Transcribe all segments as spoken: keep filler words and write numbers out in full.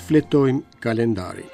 Shfletojmë kalendarin.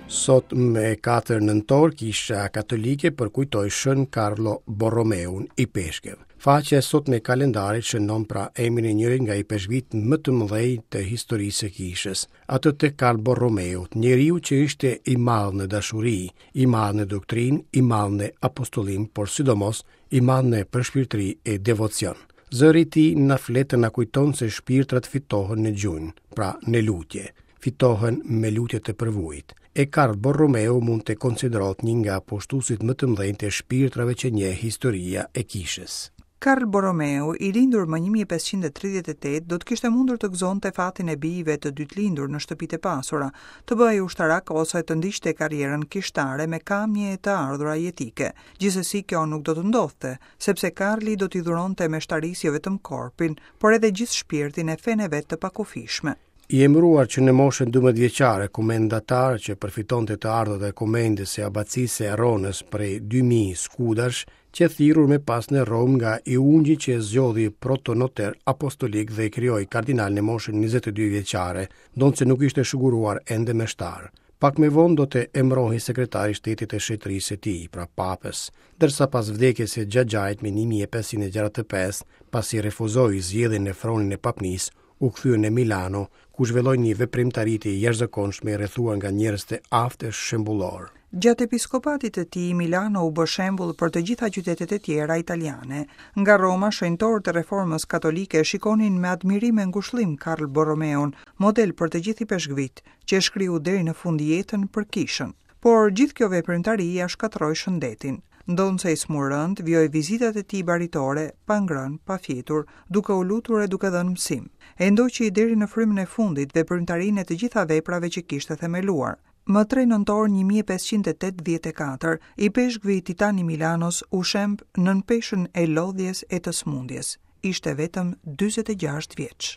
Sot me katër nëntor, Kisha Katolike përkujtoi Shën Carlo Borromeun, ipeshkëv. Faqja e sotme e kalendarit shënon pra emrin e njërit nga ipeshkvit më të mëdhenj të historisë së kishës, atë të Karl Borromeut, njeriu që ishte i madh në dashuri, i madh në doktrinë, i madh në apostollim, por sidomos i madh në përshpirtëri e devocion. Zëri i tij na flet e na kujton se shpirtrat fitohen në gjunjë, pra në lutje, fitohen me lutje të përvujit. E Karl Borromeu mund të konsiderohet një nga pushtuesit më të mëdhenj të shpirtrave që njeh historia e kishës. Karl Borromeu, i lindur më një mijë e pesëqind e tridhjetë e tetë, do të kishte mundur të gëzonte fatin e bijve të dytë lindur në shtëpitë e pasura, të bëhej ushtarak ose të ndiqte karrierën kishtare me kamje e të ardhura jetike. Gjithsesi kjo nuk do të ndodhte, sepse Karli do t'i dhuronte meshtarisë jo vetëm korpin, por edhe gjithë shpirtin e fenë e vet të pakufishme. I emëruar që në moshën dymbëdhjetë vjeçare, komendatar që përfitonte të ardhurat e komendës së abacisë së Ronës prej dy mijë skudash, që thirrur më pas në Romë nga i ungji që e zgjodhi protonoter apostolik dhe e krijoi kardinal në moshën njëzet e dy vjeçare, ndonëse nuk ishte shuguruar ende meshtar. Pak më vonë do të emërohej sekretari i shtetit të shetërisë së tij, pra papës, ndërsa pas vdekjes së xhaxhait më një mijë e pesëqind e gjashtëdhjetë e pesë, pasi refuzoi zgjedhjen në fronin e papnisë, u kthye në Milano, ku zhvilloi një veprimtari të jashtëzakonshme rrethuar nga njerëz të aftë e shembullor. Gjatë episkopatit të tij, Milano u bë shembull për të gjitha qytetet e tjera italiane. Nga Roma, shenjtorët e reformës katolike shikonin me admirim e ngushëllim Karl Borromeun, model për të gjithë ipeshkvit, që e shkriu deri në fund jetën për kishën. Por gjithë kjo veprimtari ia shkatërroi shëndetin. Ndonëse i smurënd, vijoi vizitat e tij baritore, pa ngrënë, pa fjetur, duke u lutur e duke dhënë mësim. E ndoqi deri në frymën e fundit veprimtarinë e të gjitha veprave që kishte themeluar. Më tre nëntor një mijë e pesëqind e tetëdhjetë e katër, ipeshkvi Titan i Milanos u shemb nën peshën e lodhjes e të smundjes. Ishte vetëm dyzet e gjashtë vjeç.